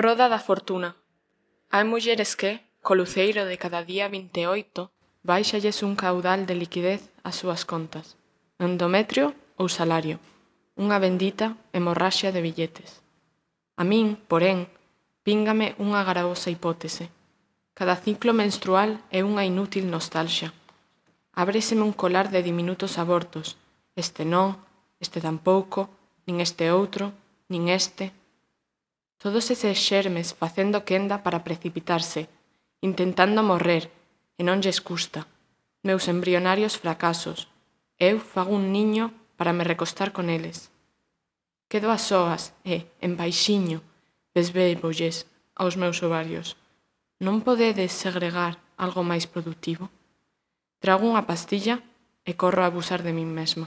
Roda da fortuna. Hai mulleres que, co luceiro de cada día 28, báixalles un caudal de liquidez ás súas contas. Endometrio ou salario. Unha bendita hemorraxia de billetes. A min, porén, víngame unha gravosa hipótese. Cada ciclo menstrual é unha inútil nostalgia. Ábreseme un colar de diminutos abortos. Este non, este tampouco, nin este outro, nin este. Todos eses xermes facendo quenda para precipitarse, intentando morrer, e non lles custa. Meus embrionarios fracasos. Eu fago un niño para me recostar con eles. Quedo a soas e, en baixiño, besbéibolles aos meus ovarios. Non podedes segregar algo máis produtivo? Trago unha pastilla e corro a abusar de min mesma.